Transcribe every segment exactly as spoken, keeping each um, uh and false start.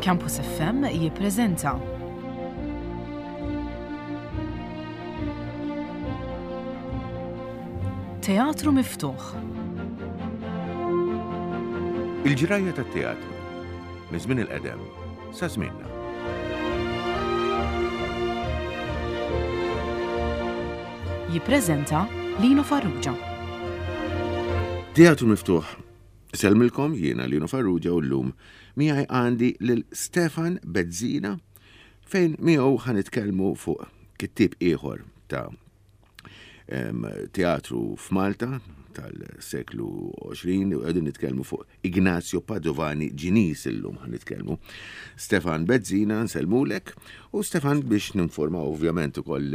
Campus F M jippreżenta Teatru Miftuħ. Il-ġrajja tat-teatru minn żmien il-qedem sa żmienna. Jippreżenta Lino Farrugia. Teatru Miftuħ. Sellmilkom, jiena Lino Farrugia u llum miegħi għandi lil Stefan Bezzina fejn miegħu ħa nitkellmu fuq kittieb ieħor ta' teatru f'Malta tal-seklu għoxrin u qegħdin nitkellmu fuq Ignazio Padovani Ġinis illum ħa nitkellmu. Stefan Bezzina, nsellmulek, u Stefan, biex ninforma ovvjament ukoll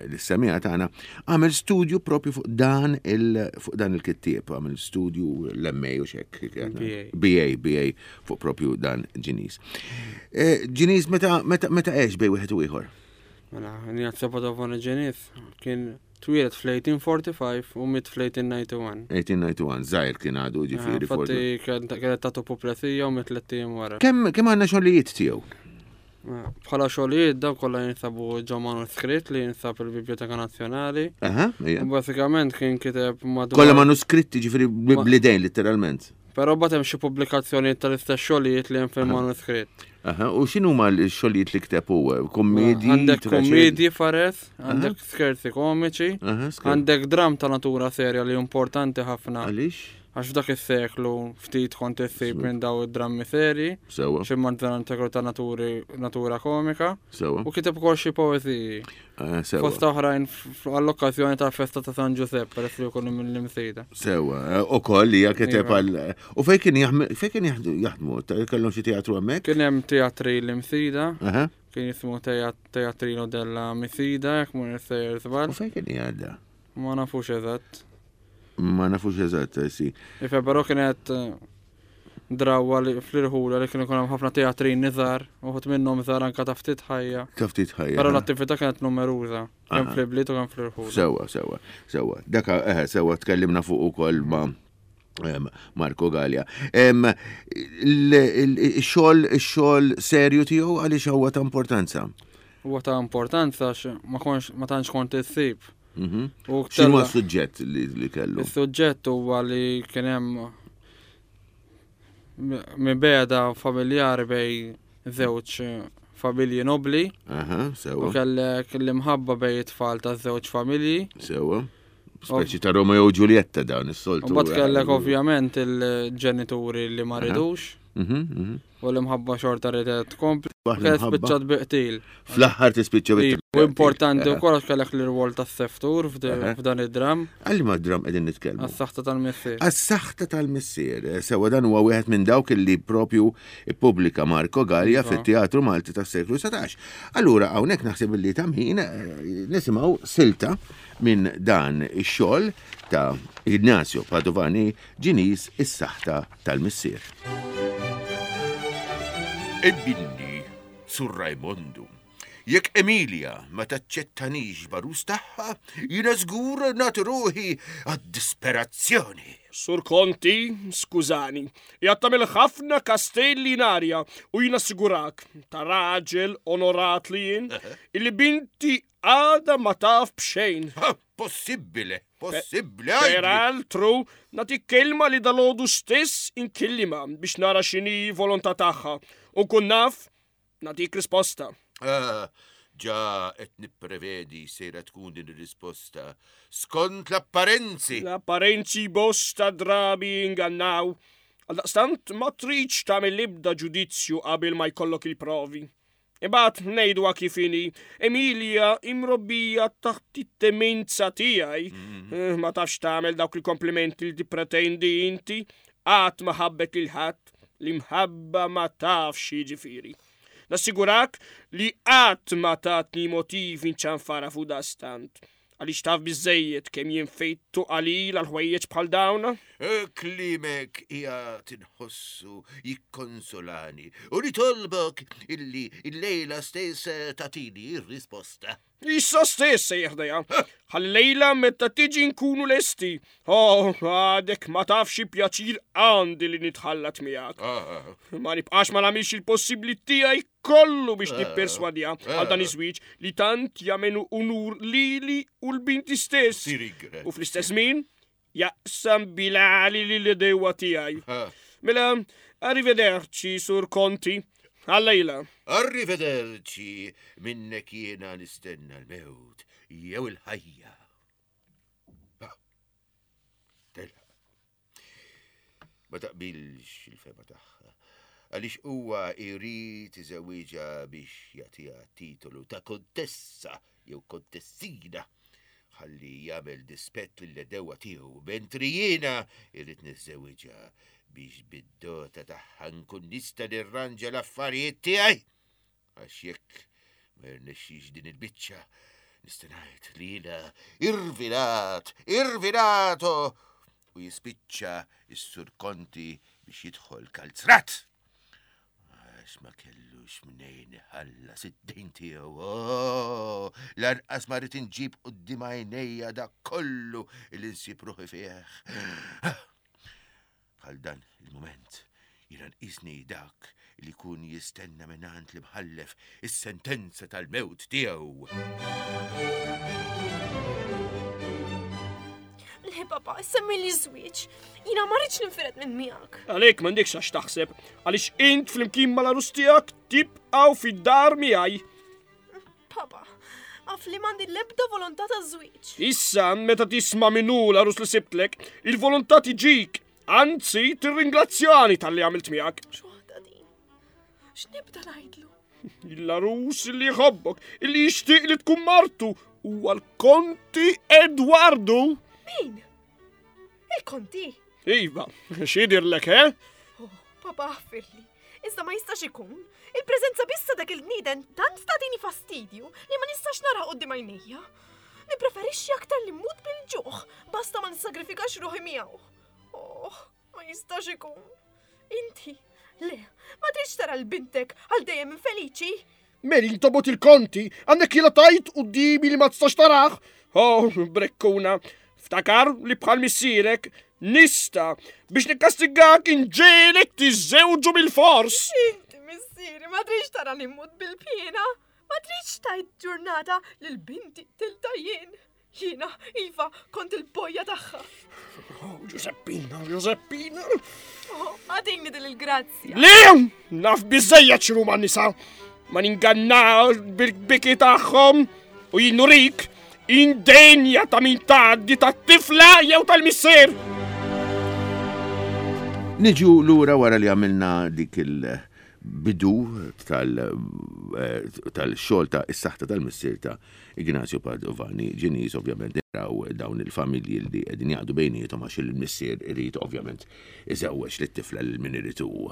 l-semija tagħna, għamel studju propju fuq dan il fuq dan il-kittieb, għamel studju l-M A u xek. B A. B A fuq propju dan Ġinis. Ġinis meta meta meta għex bejn wieħed u ieħor? Mela, Ignazio Padovani Ġinis kien twieled fl-eighteen forty-five u miet fl-eighteen ninety-one. eighteen ninety-one, żgħir kien għadu ġifieri. Infatti kienet tatu puplesija u miet tlett ijiem wara. Kemm kemm għandna xogħlijiet tiegħu? Bħala xogħlijiet dawn kollha jinsabu ġo manuskritt li jinsab il-Biblioteka Nazzjonali. Aha, ija. U basikament kien kiteb madwar. Kollha manuskritti, ġifieri bl-idejn literalment. Però mbagħad hemm xi pubblikazzjonijiet tal-istess xogħlijiet li hemm fil-manuskritt. Aha, u x'inhu huma l-xogħlijiet li kteb hu? Kommedji? Għandek traġedji? Kommedji fares, għandek scherzi komiċi, Aha, scherzi. għandek dram ta' natura serja li importanti ħafna. Għaliex? Għax f'dak is-seklu ftit kont issib minn daw id-drammi seri. Sewa. Xi mazzanant ta' naturi, natura komika. Sewa. U kiteb ukoll xi poeżiji. Ah, sewa. Fost oħrajn għall-okkażjoni tal-festa ta' San Giuseppe, peress li jkunu mill-Imsida. Sewa, u koll hija kiteb Iva. għal. U fejn kien jaħdmu, fejn kien jaħdmu, jaħdmu? Ta- Kellhom xi teatru hemmhekk? Kien hemm teatri l-Imsida. Aha. Kien jismu Teatrino della Misida, jekk mhu sejjer żball. U fejn kien jgħadda? Ma nafux eżatt. Ma nafux eżatt, eh, si. Ife, però kienet eh, drawa li fl-irħula li kienu jkun hemm ħafna teatrin żgħar, uħud minnhom żgħar anka ta' ftit ħajja. Ta' ftit ħajja. Però l-attività kienet numeruża, kemm Aha. fl-ibliet u kemm fl-irħula. Sewa, sewa, sewa. Daka, eh, sewa, tkellimna fuq ukoll ma' em, Marco Gallia. Em, il- il- Ix-xogħol ix-xogħol serju tiegħu għaliex huwa ta' importanza? Huwa ta' importanza għax ma konx ma tantx kont issib. Mhm. U X'inhu tella- s-suġġett li li kellu? Is-suġġett huwa li kien hemm mibegħda familjari bejn żewġ familji nobli. Aha, sewa. U kellek l-imħabba bejn it-tfal ta' żewġ familji. Sewa. Speċi ta' Romeo u Giulietta dawn is-soltu. U mbagħad kellek ovvjament il-ġenituri li ma Aha. ridux. Mhm, mhm. U l-imħabba xorta ridet tkompli. Waħda Kienet l-imħabba. spiċċat bi qtil. Fl-aħħar tispiċċa bi qtil. U importanti Aha. wkoll għax kellek l-irwol tas-seftur f'd- Aha. f'dan id-dram. Għal ma dram qegħdin nitkellmu? Għas-saħta tal-missier. Għas-saħta tal-missier. Sewa, dan huwa wieħed minn dawk li propju ippubblika Marco Gallia Iva. fit-Teatru Malti tas-seklu satax. Allura hawnhekk naħseb li ta' min eh, nisimgħu silta minn dan ix-xogħol ta' Ignazio Padovani Ġinis, Is-Saħta tal-Missier. Ebbinni, Sur Raimondu, jekk Emilia ma taċċettanix b'għarus tagħha, jiena żgur nagħti ruħi għad-disperazzjoni. Sur Konti, skużani, qiegħed tagħmel ħafna kastelli in arja u jina sigurak, ta' raġel onorat li jien, illi binti għada ma taf b'xejn. Possibbile, possibbile, għajdi. Peraltru, nagħti kelma li dalgħodu stess inkellima biex nara x'inhi volontà tagħha u kun naf nagħtik risposta. Ah, ġa qed nipprevedi sejra tkun din ir-risposta. Skont l-apparenzi. L-apparenzi bosta drabi ingannaw. Għaldaqstant ma tridx tagħmel l-ebda ġudizzju qabel ma jkollok il-provi. Imbagħad ngħidu kif inhi, Emilia imrobbija taħt it-temenza tiegħi. Eh, Ma tafx tagħmel dawk il-komplimenti li tippretendi inti, qatt ma ħabbet lil ħadd, l-imħabba ma tafx jiġifieri. Nassigurak li qatt ma tatni motivi nċanfara fuq dastant. Għaliex taf biżejjed kemm jien fejtu qalil għal ħwejjeġ bħal dawn? Klimek qiegħed inħossu jikkonsolani u nitolbok illi il-lejla stess tagħtini r-risposta. Issa stess se jeħdejha. Ħalli lejla meta tiġi nkunu lesti. Oh, għadek ma tafx xi pjaċir għandi li nitħallat miegħek. Ah, Ma nibqax ma nagħmilx il-possibbli tiegħi kollu biex nipperswadija għal dan iż-żwieġ li tant jagħmelu unur lili u l-binti stess. Tirigre. U fl-istess min jaqsam bilali li l-dewa tiegħi. Ah. Mela, arrivederci, sur Conti. Għallejla. Arrivederci, minnek jiena nistenna l-mewt, jew il-ħajja. Ah, Telaq. Ma taqbilx il-fema tagħha, għaliex huwa jrid iżewwiġha biex jagħtiha titolu ta' kontessa jew kontessina ħalli jagħmel dispett lill-edewa tiegħu, mentri jiena irrid niżżewwiġha biex bid-dota tagħha nkun nista' nirranġa l-affarijiet tiegħi. Għax jekk ma jirnexxix din il-biċċa, nista' ngħid li jiena irvinat, irvinato u jispiċċa s-sur Konti biex jidħol kalzrat. Għax ma kellux mnejn iħallas id-dejn tiegħu. Oh, lanqas ma rrid inġib quddiem għajnejja dak kollu li nsib ruħi fih. Bħal dan il-moment jiena nqisni dak li jkun jistenna mingħand l-imħallef is-sentenza tal-mewt tiegħu. Le papa, semmi li żwieġ. Jiena ma rridx ninfired minn miegħek. Għalek m'għandekx għax taħseb, għaliex int flimkien mal-arus tiegħek tibqgħu fid-dar miegħi. Papa, għaf li m'għandi l-ebda volontà ta' żwieġ. Issa, meta tisma' minnu l-arus li sibtlek, il-volontà tiġik. Anzi, tirringrazzjani tal-li għamilt miegħek. X'waħda din? X'nibda ngħidlu? Il-arus li jħobbok, illi jixtieq li tkun martu, huwa l-Konti Edwardu. Min? Il-konti? Iva, x'idirlek, eh? Oh, papa aħfirli. Iżda ma jistax ikun. Il-preżenza biss ta' dak il-bniedem tant tagħtini fastidju li ma nistax nara quddiem għajnejja. Nippreferixxi aktar li mmut bil-ġuħ basta ma nissagrifikax ruħi miegħu. Oh, ma jistax ikun. Inti, le, ma tridx tara l-bintek għal dejjem infeliċi. Meli intobot il-konti, għandek jila tajt u dimi li ma tistax taraħ. Oh, brekkuna, ftakar li bħal missierek nista biex nikkastigak inġelek tiżżewġu bil-fors. Inti missieri, ma tridx tara li mmut bil-pjena. Ma tridx tajt ġurnata lil binti tilta jien. Jiena, Iva, kont il-bojja tagħha. Oh, Giuseppina, Giuseppina. Oh, għadini din il-grazzja. Le, naf biżejjed x'inhu ma' nisa. Ma ningannaw bil-biki tagħhom u jinnurik indenja ta' min tgħaddi tat-tifla jew tal-missier. Niġu lura wara li għamilna dik il-bidu tal- tal-xogħol ta' is-saħta tal-missier ta' Ignazio Padovani Ġinis, ovvjament naraw dawn il-familji li qegħdin jaqdu bejniethom għax il-missier irid ovvjament iżewweġ lit-tifla lil min irid hu.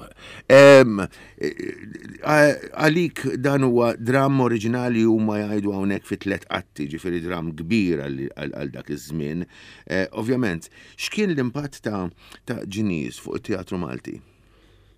Em, eh, Għalik dan huwa dramm oriġinali huma jgħidu hawnhekk fi tliet atti, ġifieri dramm kbir għal għal dak iż-żmien. Eh, Ovvjament, x'kien l-impatt ta' ta' Ġinis fuq it-teatru Malti?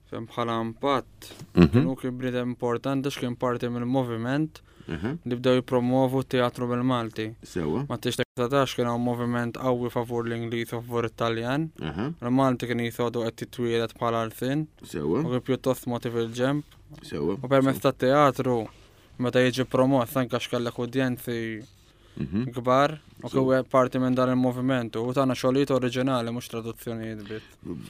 Fem bħala impatt, Mhm. kienu kien bniedem importanti x'kien parti mill-moviment Mhm. li bdew jipromovu t-teatru bil-Malti. Sewa. Ma tix taqtax kien hawn moviment qawwi favur l-Ingliż u favur it-Taljan. Aha, Il-Malti kien jitgħodu qed titwieled bħala arfin Sewa, u kien pjuttost motiv il-ġemp. sewa. U permezz tat-teatru meta jiġi promoss anke x'kellek udjenzi Mhm. kbar u kien parti minn dan il-moviment u tagħna xogħlijiet oriġinali mhux traduzzjonijiet biss.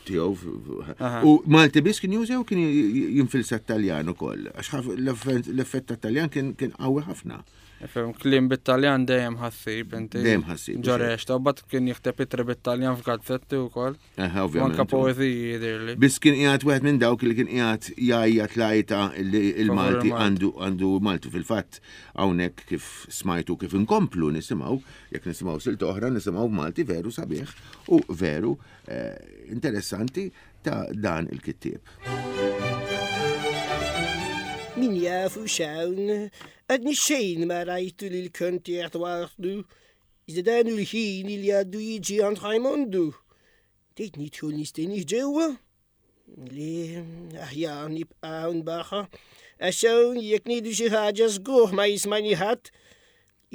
Tiegħu. f- Aha. U Malti biss kien juża jew kien j- jinfilsa t-Taljan ukoll? Għax ħaf- l-effett l-effett tat-Taljan kien kien qawwi ħafna. Ifhem, kliem bit-Taljan dejjem ħassib inti. Dejjem ħassib, Ġorex, ta' bat kien jikteb itri bit-Taljan f'gazzetti wkoll. Aha, U anke ovvjament. poeżiji jidhirli. Biss kien qiegħed wieħed minn dawk li kien qiegħed jgħajjat lajta li il-Malti il-Malti. għandu għandu Malti fil-fatt hawnhekk kif smajtu kif inkomplu nisimgħu, jekk nisimgħu silta oħra nisimgħu Malti veru sabiħ u veru eh, interessanti ta' dan il-kittieb. Min jafu xawn, għadni xejn ma rajtu li l-konti Edwardu. Iżda dan hu l-ħin li għaddu jiġi għand Rajmondu. Tgħid nidħol nistennih ġewwa? Le, aħjar nibqa' hawn barra. Għax hawn jekk ngħidu xi ħaġa żgur ma jismani ħadd.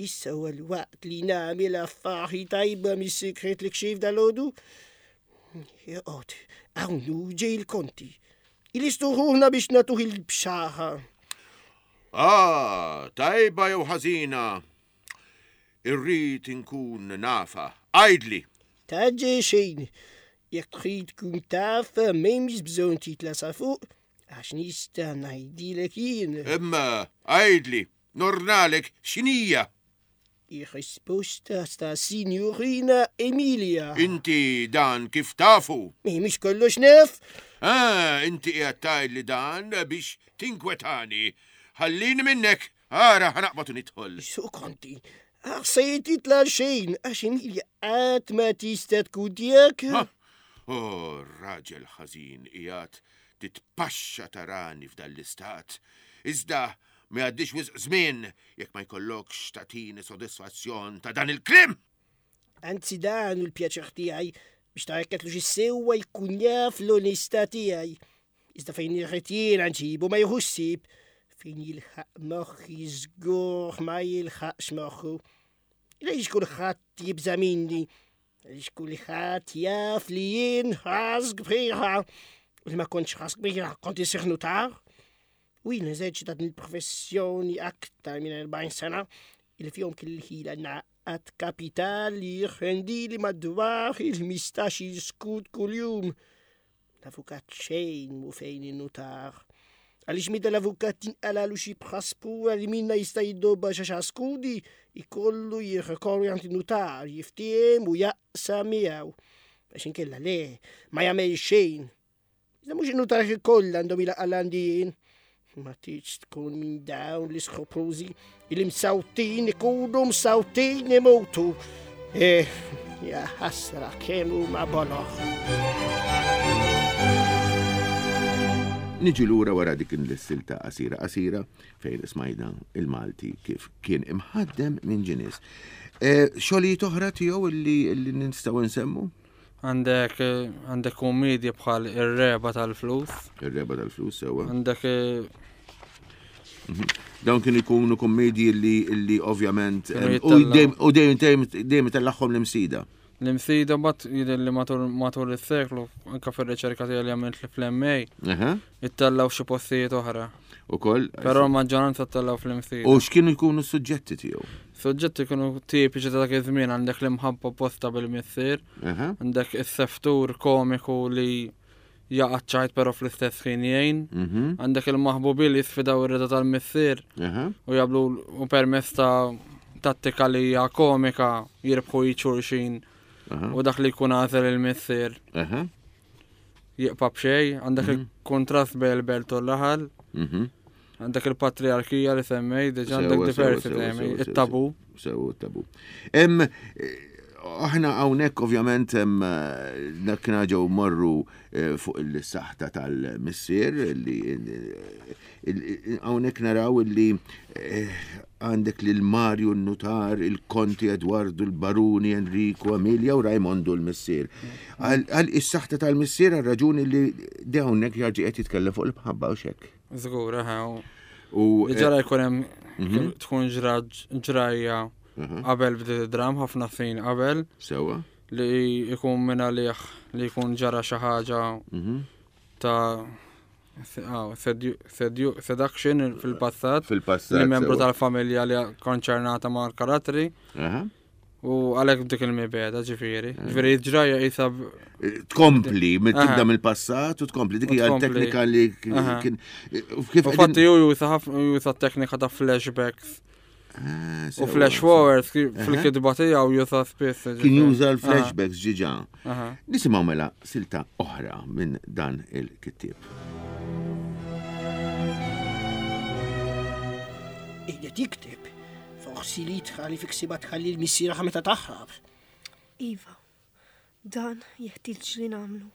Issa huwa l-waqt li nagħmel affari tajba mis-sigriet li kxift dalgħodu. Joqgħod, hawn hu ġej il-konti. Ilistu ruħna biex nagħtuh il-bxara. Ah, tajba jew ħażina. Irrid inkun nafa. Għidli. Tgħaġġel xejn. Jekk trid tkun taf, m'hemmx bżonn titla' sa fuq, għax nista' ngħidilek jien. Imma għidli, nordnalek x'inhija. Ir-risposta ta' Sinjurina Emilia. Inti dan kif tafu? Mhix kollox naf? Ah, inti qiegħed tgħidli dan biex tinkwetani. Ħallini minnek, ara ħa naqbad u nidħol. Sur Konti, aħseb titla' xejn, għax Emilia qatt ma tista' tkun tiegħek. Oh, raġel ħażin qiegħed titpaxxa tarani f'dan l-istat. Iżda ma jgħaddix wisq żmien jekk ma jkollokx tagħtini sodisfazzjon ta' dan il-kliem. Anzi dan hu l-pjaċir tiegħi biex tgħidlu x'sewwa jkun jaf l-onestà tiegħi. Iżda fejn irrid jiena nġibu ma jieħux ħsieb, fejn jilħaq moħħi żgur ma jilħaqx moħħu. Għaliex kulħadd jibża' minni, għaliex kulħadd jaf li jien ras kbira. U li ma kontx ras kbira, kont insir nutar. U jien eżerċitat din il-professjoni aktar minn erbgħin sena, il fihom kelli l-ħila ngħaqqad kapital li jirrendili madwar il-ħmistax-il skud kuljum. L-avukat xejn mhu fejn in-nutar. Għaliex meta l-avukat tinqalalu xi bħaspura li minna jista' jiddobba xi għaxar skudi, ikollu jirrikorri għand in-nutar, jiftiehem u jaqsam miegħu. Għax inkella le, ma jagħmel xejn. Iżda mhux in-nutar kollha għandhom ilaqqa' għandi jien. Ma tridx tkun minn dawn l-iskrupużi li msawtin ikunu msawtin imutu. Eh, ja ħasra kemm huma boloh. Niġu lura wara dik il-silta qasira qasira fejn smajna il-Malti kif kien imħaddem minn Ġinis. Eh, xogħlijiet oħra tiegħu illi, illi nistgħu nsemmu? Għandek, għandek kummedji bħal Ir-Regħba tal-Flus. Ir-Regħba tal-Flus, sewwa. Għandek, eh, Mhm. Dawn kienu jkunu kummedji li, li ovvjament, Kienu em, u jittellgħu. dejjem, u dejjem, dejjem, dejjem tellagħhom l-Imsida. L-Imsida bat jidher li matul, matul is-seklu, anke fir-riċerka tiegħi li għamilt fl-M A, Aha. ittellgħu xi postijiet oħra. Ukoll? Però l-maġġoranza ttellgħu fl-Imsida. U x'kienu jkunu s-suġġetti tiegħu? Suġġetti kienu tipiċi ta' dak iż-żmien, għandek l-imħabba posta bil-missier, Aha. għandek is-seftur komiku li jaqa' ċajt però fl-istess ħin jgħin, Mhm. għandek il-maħbubi li jisfidaw ir-rida tal-missier Aha. u jablu u permezz ta' tattika li hija komika jirbħu xulxin Aha. u dak li jkun għażel il-missier Aha. jibqa' b'xejn, għandek Mhm. il-kontrast bejn il-belt u l-raħal, Mhm. għandek il-patriarkija li semmej, diġà Sewa, għandek sewa, diversi sewa, temi, sewa, sewa, it-tabu. Sewa, it-tabu. Em, eh, aħna hawnhekk ovvjament hemm, eh, dak ġew morru, eh, fuq il-saħta tal-missier li, eh, il-, hawnhekk naraw li, eh, għandek lil Mario n-nutar, il-Konti Eduardo, il-Baruni Enrico, Emilia u Raimondo l-missier. Għal, għal is-saħta tal-missier għal raġuni li di hawnhekk jarġi qed jitkellem fuq il-mħabba u xek. Żgur, eħe, u U, li ġara jkun hemm Mhm. tkun ġra-, ġrajja Mhm. qabel bdiet id-dram, ħafna snin qabel. Sewwa. Li jkun minn għalih li jkun ġara xi ħaġa Mhm. ta' ah, sedu-, sedu-, seduction fil-passat. Fil-passat, Li membru sewwa. tal-familja li konċernata mal-karattri. Aha. U għalhekk dik il-mibeda, ġifieri. Ġifieri ġrajja qisha b- Tkompli, minn Aha. tibda mill-passat u tkompli. Dik U hija tkompli. teknika li k-, Aha. kien, kif U qegħdin fatti hu juża ħafna, juża teknika ta' flashbacks. Ah, U sewwa, flash sewwa. forwards ki-, Aha. fil-kitba tiegħu juża spiss, Kien ġifieri. juża l-flashbacks ġiġa. Aha. Nisimgħu mela silta oħra minn dan il-kittieb. Qiegħed jikteb. Forsi li tħalli fi ksiba tħalli l-missierha meta taħrab. Iva, dan jeħtieġ li nagħmlu.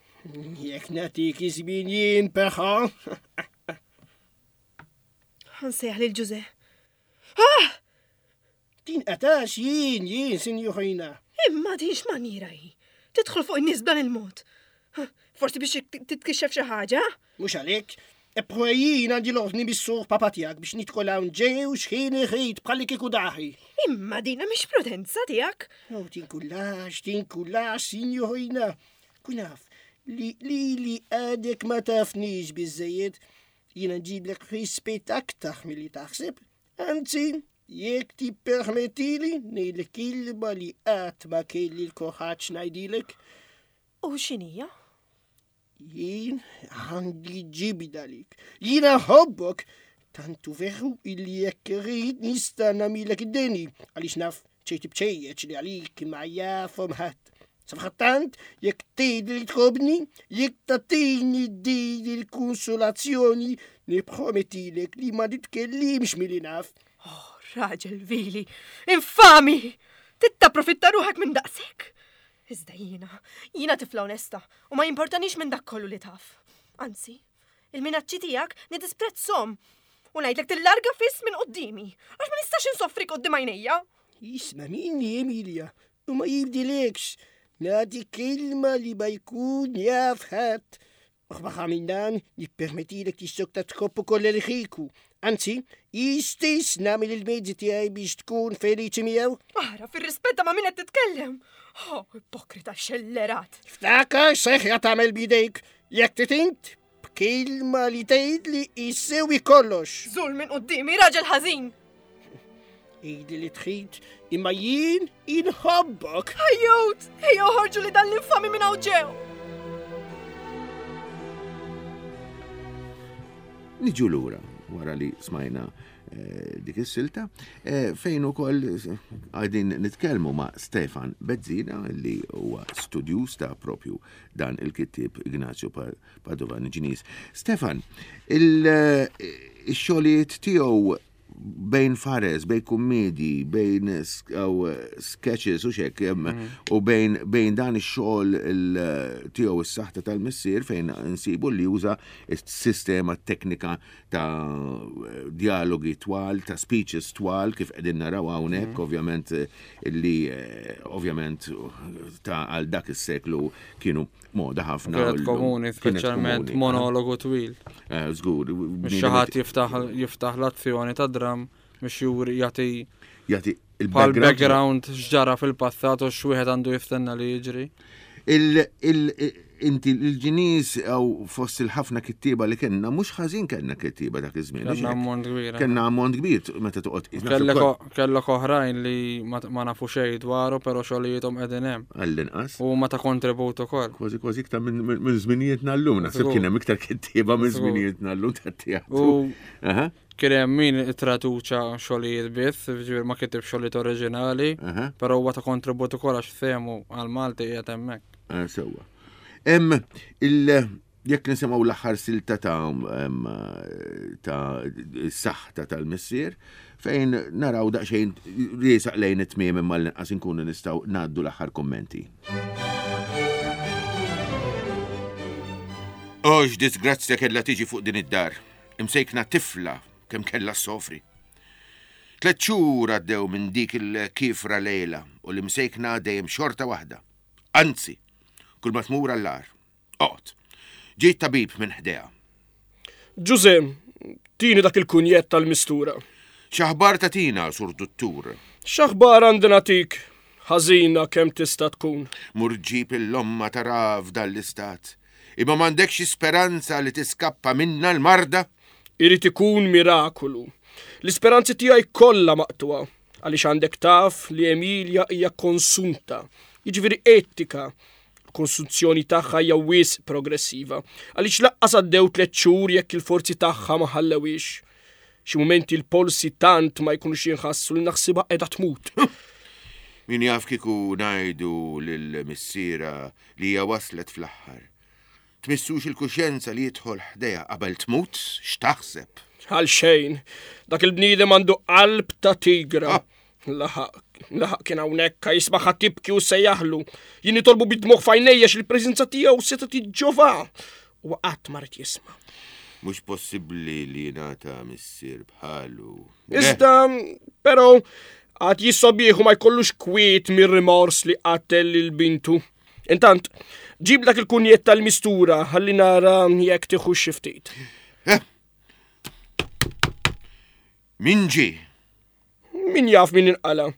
Jekk nagħtik iż-żmien jien peħa. Ħansejjaħ lil Ġuże. Ah! Din Ninqatax jien, jien, sinjurina. Imma din x'maniera hi? Tidħol fuq in-nies b'dan il-mod. Forsi biex titkixxef xi ħaġa? Mhux għalhekk. Eppure jien għandi l-ordni mis-sur papa tiegħek biex nidħol hawn ġew x'ħin irrid bħalli kieku daħi. Imma dina mhix prudenza tiegħek. Oh, tinkullax, tinkullax, sinjurina. Kun naf li li għadek ma tafnix biżżejjed. Jiena nġiblek rispett aktar milli taħseb. Anzi, jekk tippermettili ngħidlek kelma li qatt ma kelli l-kuraġġ ngħidilek. U x'inhija? Jien għandi ġibda għalik. Jiena nħobbok. Tantu veru illi jekk irrid nista' nagħmilek id-deni għaliex naf ċejti bċejjeċ li għalik ma jafhom ħadd. Safrattant, jekk tgħid li tħobbni, jekk tagħtini din il-konsolazzjoni, nippromettilek li ma nitkellimx milli naf. Oh, raġel vili, infami! Tittapprofitta ruħek minn daqshekk? Iżda jiena, jiena tifla onesta u ma jimportanix minn dak kollu li taf. Anzi, il-minaċċi tiegħek nidisprezzhom u ngħidlek tillarga fiss minn qudiemi, għax ma nistax insoffrik quddiem għajnejja. Isma' minni, Emilia, u ma jibdilekx. Nagħti kelma li ma jkun jaf ħadd. Uħbaħa minn dan, nippermettilek tissokta tħobb ukoll il-ħiku. Anzi, jistess nagħmel il-mezzi tiegħi biex tkun feliċi miegħu. Ara, fir-rispetta ma' min qed titkellem. Oh, ipokrita xellerat. Ftakar seħra tagħmel bidejk, jekk titint, b'kelma li tgħid li jissewi kollox. Żul minn quddiemi, raġel ħażin. Għidli li trid, imma jien inħobbok. Ejjut, ejjew ħorġu li dan l-infami minn hawn ġew. Niġu lura wara li smajna eh, dik is-silta, eh, fejn ukoll qegħdin nitkellmu ma' Stefan Bezzina li huwa studjuż ta' propju dan il-kittieb Ignazio Padovan Ġinis. Stefan, il-xogħlijiet tiegħu bejn fares, bejn kummedi, bejn sketches u xek, u bejn, bejn dan ix-xogħol tiegħu is-saħta tal-missier fejn nsibu li juża s-sistema teknika ta' dialogi twal, ta' speeches twal kif qegħdin naraw hawnhekk, ovvjament li ovvjament ta' għal dak is-seklu kienu moda ħafna. Kienet komuni, speċjalment monologu twil. Żgur. Biex xi ħadd jiftaħ jiftaħ l-azzjoni ta' dram biex juri jagħti jagħti il-background x'ġara fil-passat u x'wieħed għandu jistenna li jiġri. Inti l-ġinis għaw fost il-ħafna kittieba li kellna, mhux ħażin kellna kittieba dak iż-żmien. Kellna ammont kbir. Kellna ammont kbir meta toqgħod. Kellek oħrajn li ma nafu xejn dwaru, però xogħlijiethom qegħdin hemm. Għall-inqas. U ma ta' kontribut ukoll. Kważi kważi iktar minn żminijietna llum, naħseb kien hemm iktar kittieba minn żminijietna llum tat-teatru. Kien hemm min ittraduċa xogħlijiet biss, ġifieri ma kitib xogħlijiet oriġinali, però huwa ta' kontribut ukoll għax sehmu għall-Malti qiegħed hemmhekk. Sewwa. Hemm il jekk nisimgħu l-aħħar silta ta' ta' s-saħta tal-missier fejn naraw daqsxejn riesaq lejn it-tmiem imma l-inqas inkunu nistgħu ngħaddu l-aħħar kummenti. Oh, x'disgrazzja kellha tiġi fuq din id-dar. Imsejkna tifla kemm kellha ssofri. Tliet xhur għaddew minn dik il-kifra lejla u l-imsejkna dejjem xorta waħda. Anzi, kull ma tmur għall-ar. Oqgħod. Ġejt tabib minn ħdejha. Ġuże, tini dak il-kunjett tal-mistura. X'aħbar tagħtina, sur duttur? X'aħbar għandi nagħtik? Ħażina kemm tista' tkun. Mur ġib il-lomma tara f'dan l-istat. Imma m'għandekx speranza li tiskappa minna l-marda? Irid ikun mirakolu. L-isperanzi tiegħi kollha maqtuha għaliex għandek taf li Emilia hija konsunta, jiġifieri etika. L-konsunzjoni tagħha hija wisq progressiva, għaliex laqqas għaddew tliet xhur jekk il-forzi tagħha ma ħallewix. Xi mumenti l-polsi tant ma jkunux jinħassu li naħsibha qiegħda tmut. Min jaf kieku ngħidu lil missiera li hija waslet fl-aħħar. Tmissux il-kuxjenza li jidħol ħdejha qabel tmut, x'taħseb? Għal xejn, dak il-bniedem għandu qalb ta' tigra. Laħaq, laħaq kien hawnhekk jismaħ tibki u sejjaħlu. Jien nitolbu bid-dmugħ f'għajnejja x'il-preżenza tiegħu seta' tiġġova. U qatt ma rid jisma'. Mhux possibbli li jingħata missier bħalu. Iżda, però Għad jissobieħu ma jkollux kwiet mir-rimors li qatel lil bintu. Intant, ġib dak il-kunjett tal-mistura ħalli nara jekk tieħu xi ftit. Eh. Min ġie? Min jaf min inqala.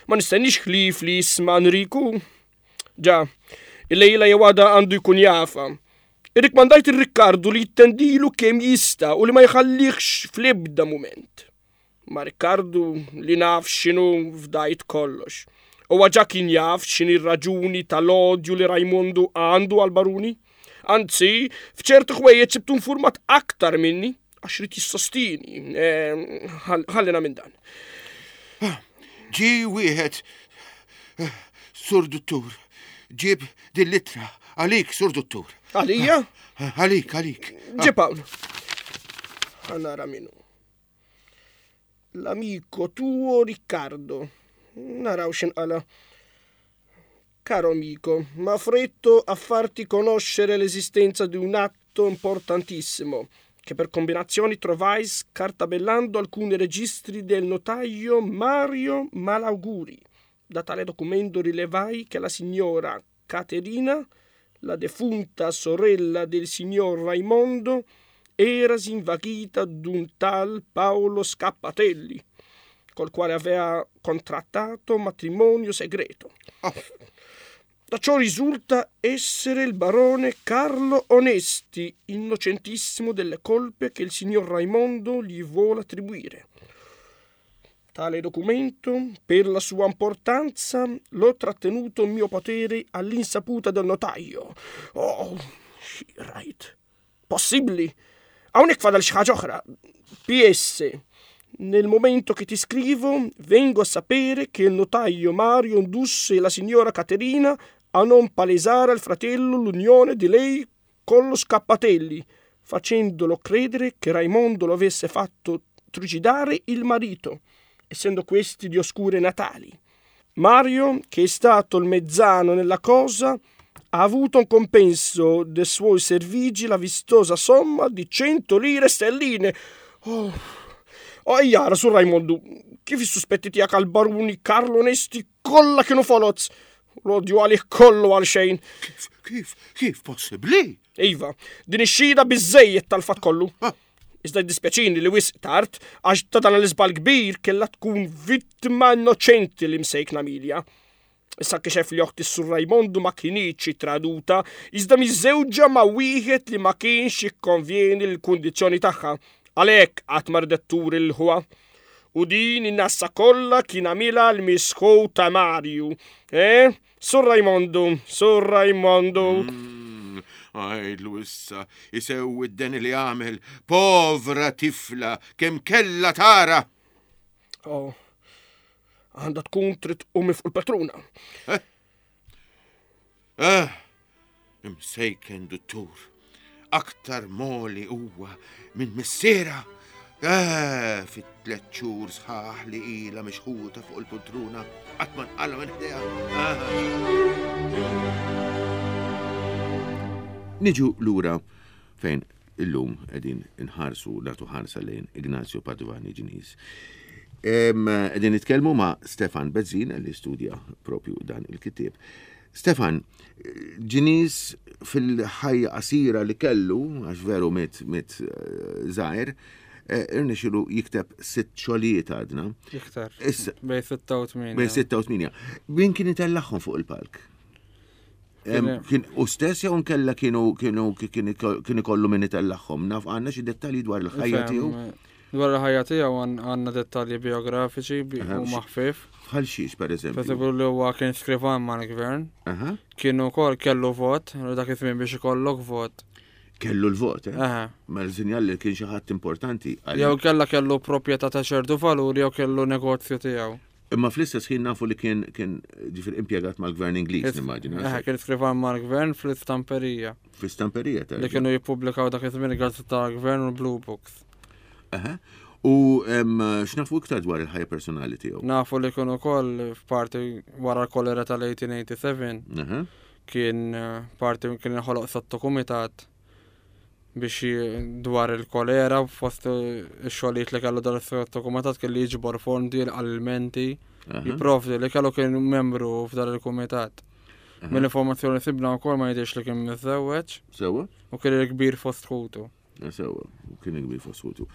Ma nistennix ħlief li jisma' Enriku. Ġa, il-lejla jew għada għandu jkun jafa. Irrikmandajt ir-Rikkardu li jittendilu kemm jista' u li ma jħallihx fl-ebda mument. Ma Rikkardu li naf x'inhu fdajt kollox. Huwa ġa kien jaf x'inhi r-raġuni tal-odju li Rajmondu għandu għall-baruni. Anzi, f'ċertu ħwejjeġ sibtu informat aktar minni għax rid jissostini. Eh, ħallina minn dan. Ġie wieħed, eh, Sur Duttur, ġieb din l-ittra għalik, Sur Duttur. Għalija? Għalik, għalik. Ġib hawn. Ħa nara min hu. L-amico tuo Riccardo. Naraw x'inqala. Caro amico, m'affretto a farti conoscere l'esistenza di un atto importantissimo che per combinazioni trovai scartabellando alcuni registri del notaio Mario Malauguri. Da tale documento rilevai che la signora Caterina, la defunta sorella del signor Raimondo, erasi invaghita d'un tal Paolo Scappatelli, col quale aveva contrattato matrimonio segreto. Oh. Da ciò risulta essere il barone Carlo Onesti, innocentissimo delle colpe che il signor Raimondo gli vuole attribuire. Tale documento, per la sua importanza, l'ho trattenuto in mio potere all'insaputa del notaio. Oh, right. Possibli. Hawnhekk fadal xi ħaġa oħra. P S. Nel momento che ti scrivo, vengo a sapere che il notaio Mario indusse la signora Caterina a non palesare al fratello l'unione di lei con lo Scappatelli, facendolo credere che Raimondo lo avesse fatto trucidare il marito, essendo questi di oscure natali. Mario, che è stato il mezzano nella cosa, ha avuto un compenso dei suoi servigi la vistosa somma di cento lire sterline. Oh, oh, jara su Raimondo, kif is-suspetti tiegħek għal baruni Carlo Onesti kollha kienu foloz? L-odju għalih kollu għal xejn. Kif, kif, kif possibbli? Iva, din ix-xhieda biżżejjed tal-fatt kollu. Ah. Iżda jiddispjaċini li wisq tard, għax ta' dan l-iżbal kbir kellha tkun vittima innoċenti li msejkna Milja. Issa kixef li oħti sur Raimondu ma kinitx traduta, iżda miżewġa ma' wieħed li ma kienx jikkonvjeni l-kundizzjoni tagħha. Għalhekk qatt ma rdet turi l-ħuha. U din in-nassa kollha kien għamilha l-misħu ta' Marju. Eh? Sur Raimondu, Sur Raimondu. Mm, għajdlu issa, jisewwi d-deni li għamel. Povra tifla, kemm kella tara. Oh, għandha tkun trid tqum fuq il-patruna. Eh? Eh, imsejken duttur, aktar moli huwa minn missiera. Eh, fit tliet xhur sħaħ li ilha mixħuta fuq il-poltruna, qatt ma nqalha minn ħdejha. Eh. Niġu lura fejn illum qegħdin inħarsu nagħtu ħarsa lejn Ignazio Padovani Ġinis. Em, qegħdin nitkellmu ma' Stefan Bezzina li studja propju dan il-kitieb. Stefan, Ġinis fil-ħajja qasira li kellu, għax veru mit, mit, eh, żgħir, eh, irnexxielu jikteb sitt xogħlijiet għadna. Iktar. Issa, Bej sitta u tmienja. Bej sitta u tmienja. Min kien itellagħhom fuq il-palk? Em, Kien Kien u stess jew nkella kienu, kienu, kien, kien ikollu min itellagħhom? Naf għandna xi dettalji dwar il-ħajja Fem, tiegħu? Dwar il-ħajja tiegħu għan-, għandna dettalji biografiċi bi-, Aha, u x- maħfif. Bħal xiex, per eżempju? Per eżempju, li huwa kien skrivan mal-gvern. Aha. Kienu wkoll kellu vot, u dak iż-żmien biex ikollok vot. Kellu l-vot, eh? Aha. Ma l-sinjal li kien xi ħadd importanti għal- Jew kella kellu proprjetà ta' ċertu valur jew kellu negozju tiegħu. Imma fl-istess ħin nafu li kien, kien ġifier impjegat mal-gvern Ingliż, Is- nimmaġina. Aha, kien skrivan mal-gvern fl-istamperija. Fl-istamperija, Li terġa'. kienu jippubblikaw dak iż-żmien il-gazzetta tal-gvern u l-Blue Books. Aha. U, em, x'nafu iktar dwar il-ħajja personali tiegħu? Nafu li kienu wkoll f'parti wara l-kolera tal-eighteen eighty-seven. Aha. Kien, eh, parti kien inħoloq sottokumitat biex j-, dwar il-kolera, fost ix-xogħlijiet li kellu dan is-sottokumitat kien li jiġbor fondi għall-menti. Jipprovdi li kellu kien membru f'dan il-kumitat. Mill-informazzjoni sibna wkoll ma jidhirx li kien miżżewweġ. Sewwa. U kien il-kbir fost ħutu. Sewwa, kien il-kbir fost ħutu.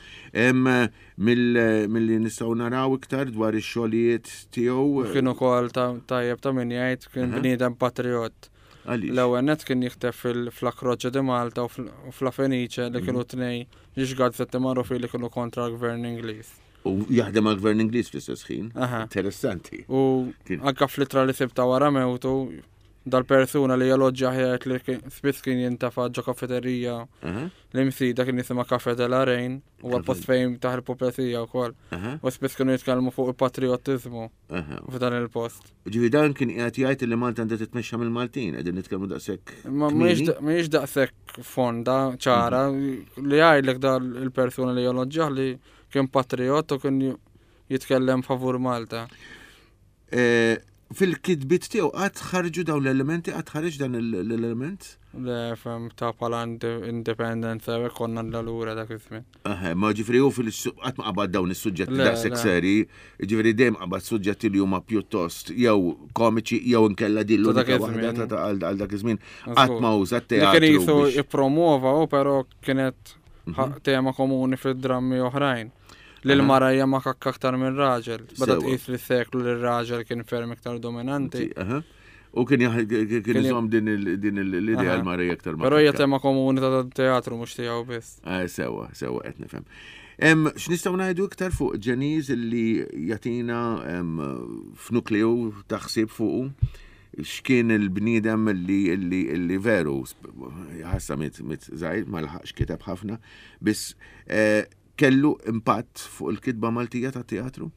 Milli nistgħu naraw iktar dwar ix-xogħlijiet tiegħu. Kien ukoll tajjeb ta' min jgħid kien bniedem patriot. L-ewwel nett kien jikteb fil-La Croce di Malta u f'La Fenice li kienu tnej ġiex gazzetti magħrufin li kienu kontra l-gvern Ingliż. U jaħdem għall-gvern Ingliż fl-istess ħin. Interessanti. U anke fl-ittra li sibta wara mewtu dal-persuna li jeloġġja ħajt li spiss kien jintafa' ġo kafeterija l-Imsida kien jisimha Café de la Reine u għal-post fejn taħ il-pupezija wkoll. U spiss kienu jitkellmu fuq il-patriottiżmu f'dan il-post. Ġifieri dan kien qiegħed jgħid li Malta għandha titmexxa mill-Maltin, qegħdin nitkellmu daqshekk. Ma mhijiex daqshekk fonda ċara li jgħidlek dal il-persuna li jeloġġjah li kien patriot u kien jitkellem favur Malta. Fil-kitbiet tiegħu qatt ħarġu dawn l-elementi, qatt ħareġ dan l-element? Le, fem ta' bħala indipendenza u konna lura dak iż-żmien. Aha, ma ġifieri hu qatt ma qabad dawn is-suġġetti daqshekk seri, ġifieri dejjem qabad suġġetti li huma pjuttost jew komiċi jew inkella din l-unika waħda ta' għal dak iż-żmien. Qatt ma uża t-teatru. Li kien jisu jippromuova u però kienet tema komuni fid-drammi oħrajn. Li l-mara hija makakka aktar minn raġel. Beda tqis li seklu li r-raġel kien ferm iktar dominanti. U kien kien iżomm din l-idea l-mara hija aktar makakka. Però hija tema komuni ta' teatru mhux tiegħu biss. Sewwa, sewwa qed nifhem. X'nistgħu ngħidu iktar fuq Ġeniż li jagħtina f'nukleu ta' ħsieb fuqu? X'kien il-bniedem li li veru ħassa mit żgħir ma laħaqx kiteb ħafna, biss kellu impatt fuq il-kitba Maltija ta' teatru?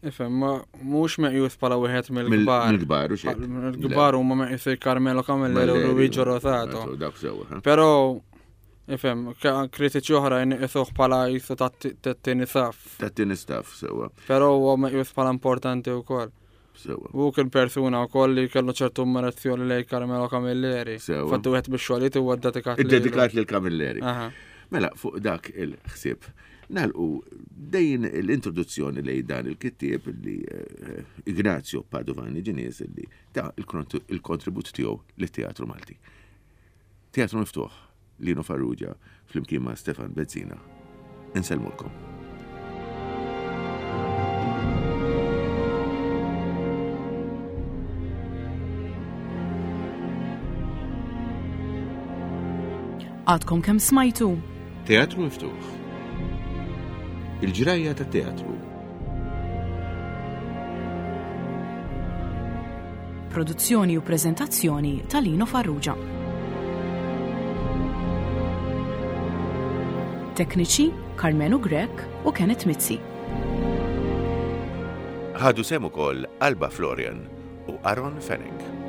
Ifhem, ma mhux meqjus bħala wieħed mill-kbar. Mill-kbar u xejn. Mill-kbar huma meqjus Carmelo Camilleri u Luigi Rosato. Però ifhem, kritiċi oħra jnqisuh bħala jisu tat-tieni saff. Tat-tieni staff, sewwa. Però huwa meqjus bħala importanti wkoll. Sewwa. U kien persuna wkoll li kellu ċertu ammirazzjoni lejn Carmelo Camilleri. Fattu wieħed bix-xogħlijiet huwa ddedikat lil. Iddedikat lil Camilleri. Mela, fuq dak il-ħsieb, nagħlqu dejn l-introduzzjoni lejn dan il-kittieb li Ignazio Padovani Ġeniż li ta il-kontribut tiegħu lit-teatru Malti. Teatru Miftuħ, Lino Farrugia, flimkien ma' Stefan Bezzina. Insellmulkom. Għadkom kemm smajtu? Teatru Miftuħ. Il-ġrajja ta' teatru. Produzzjoni u preżentazzjoni ta' Lino Farrugia. Tekniċi Carmenu Grech u Kenneth Mizzi. Ħadu sehem ukoll Alba Florian u Aaron Fenech.